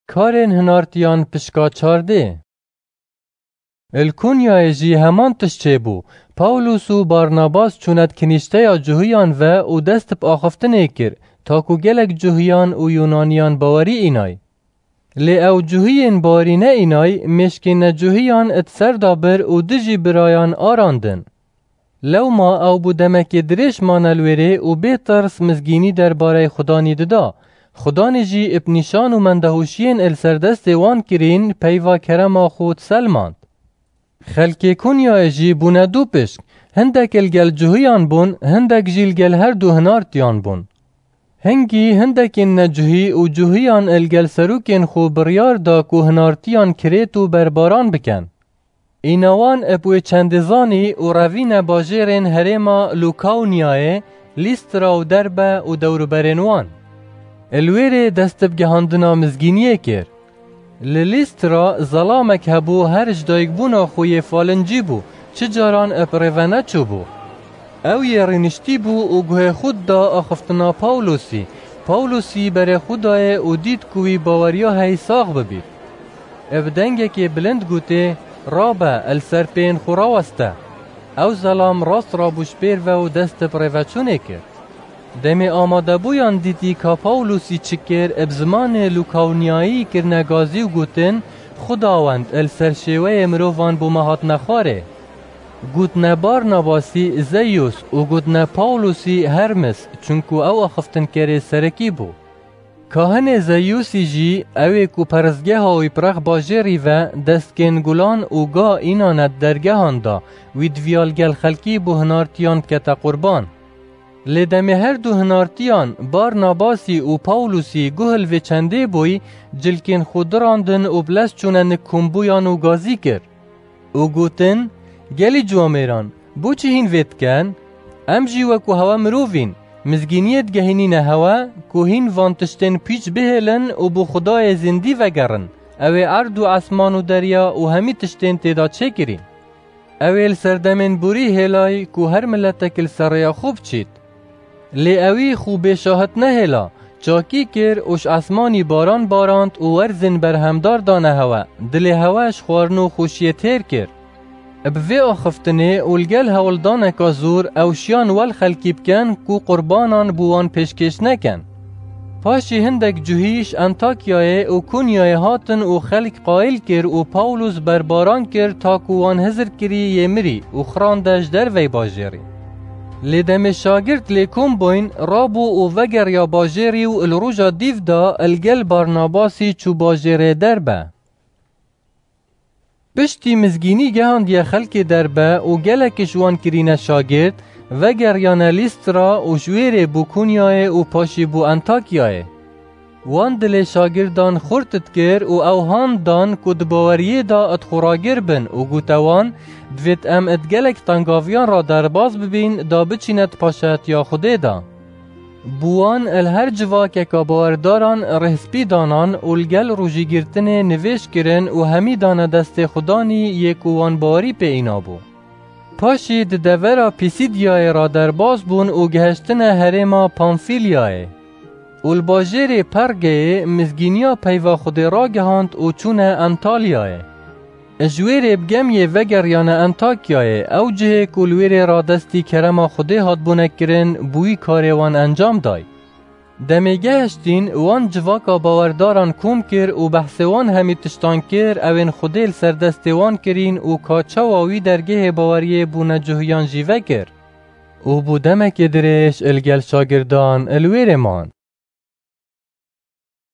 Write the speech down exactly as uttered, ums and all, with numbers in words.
Karên hinartiyan pişka çardê. Li Kunyayê jî heman tişt çêbû. Pawlus û Barnabas çûne di kinîşteya Cuhiyan ve û dest bi axiftinê kir, ta ku gelek Cuhiyan û Yunaniyan bawerî înay. Lê ew Cuhiyên bawerî neînay, mêşkên necuhiyan di ser de bir û dijî birayan arandin. Lewma ew bû demekê dirêj mane li wêrê û bê tirs mizgînî derbarey Xudanî dida. Xudanî jî bi nîşan û mendehûşiyên li ser destê wan kirîn peyva kerema xwe diselmand. Xelkê Kunyayê jî bûne du pişk, hindek li gel Cuhiyan bûn, hindek jî li gel her du hinartiyan bûn. Hingî hindekên necuhî û Cuhiyan li gel serokên xwe biryar da ku hinartiyan kirêt û berbaran bikin. Îna wan bi wê çendê zanî û revîne bajêrên herêma Lûkawnyayê, Lîstra û Derbe û dewruberên wan. Li wêrê dest bi gihandina mizgîniyê kir. Li Lîstra zelamek hebû, her ji dayikbûna xwe yê falincî bû, çi caran bi rê ve neçûbû. Ew yê rîniştî bû û guhê xwe dida axiftina Pawlosî. Pawlosî berê xwe dayê û dît ku wî baweriya heyî sax bibît. Bi dengekê bilind gotê, "Rabe, li ser pêyên xwe raweste." Ew zelam rast rabû ji pêr ve û dest bi rêveçûnê kir. Demê amadebûyan dîtî ka Pawlosî çi kir, bi zimanê Lûkawnyayî kirine gazî û gotin, "Xwedawend, li ser şêweyê mirovan bo me hatine xwarê." Gotine Barnabasî Zeyûs û gotine Pawlosî Hermes, çunku ew axiftinkerê serekî bû. Kahinê Zeyûsî jî, ew ê ku perestgeha wî bi rex bajêrî ve, destkên gulan û ga înane di dergehan da, wî diviya li gel xelkî bo hinartiyan bikete qurban. Lê demê her du hinartiyan, Barnabasî û Pawlosî, guh li vê çendê bûyî, cilkên xwe dirandin û bi lez çûne nik kombûyan û gazî kir. Û gotin, "Gelî ciwamêran, bo çi hîn vê dikin? Em jî wekû hewe mirov în. Mizgîniyê digehînîne hewe ku hîn van tiştên pîç bihêlin û bo Xwedayê zindî vegerin, ew ê erd û esman û derya û hemî tiştên tê de çêkirî. Ew ê li serdemên borî hêlay ku her miletek li ser rêya xwe biçît." Lê ewî xwe bê şahid nehêla, çakî kir û ji esmanî baran barand û werzên berhemdar dane hewe, dilê hewe ji xwarin û xweşiyê têr kir. Bi vê axiftinê û li gel hewldaneka zor ew şiyan wel xelkî bikin ku qurbanan bo wan pêşkêş nekin. Paşî hindek cuhî ji Antakyayê û Kunyayê hatin û xelk qayil kir û Pawlos berbaran kir ta ku wan hizir kirî yê mirî û xirande ji dervey bajêrî. Lê demê şagirt lê kom bûyn, rabû û vegeriya bajêrî û li roja dîv de li gel Barnabasî çû bajêrê Derbe. Piştî mizgînî gehandiye xelkê Derbe û gelek ji wan kirîne şagirt, vegeriyane Lîstra û ji wê rê bû Kunyayê û paşî bû Antakyayê. Wan dilê şagirdan xurt dikir û ew han dan ku di baweriyê de di xwe ragir bin û gote wan, "Divêt em di gelek tengaviyan re derbas bibîn da biçîne di paşayetiya Xwedê de." Bi wan li her civakeka bawerdaran rêhspî danan û li gel rojîgirtinê nivêj kirin û hemî dane destê Xudanî yê ku wan bawerî pê înabû. Paşî di devera Pîsîdiyayê re derbas bûn û gihiştine herêma Pamfîlyayê. Û li bajêrê Pergeyê mizgîniya peyva Xwedê ragihand û çûne Antalyayê. Ji wê rê bi gemiyê vegeriyane Antakyayê, ew cihê ku li wê rê radestî kerema Xwedê hatbûne kirin, bi wî karê wan encam day. Demê gehiştîn, wan civaka bawerdaran kom kir û behsê wan hemî tiştan kir, ewên Xwedê li ser destê wan kirîn û ka çawa wî dergehê baweriyê bûne cuhiyan jî vekir. Û bû demekê dirêj li gel şagirdan li wê rê man.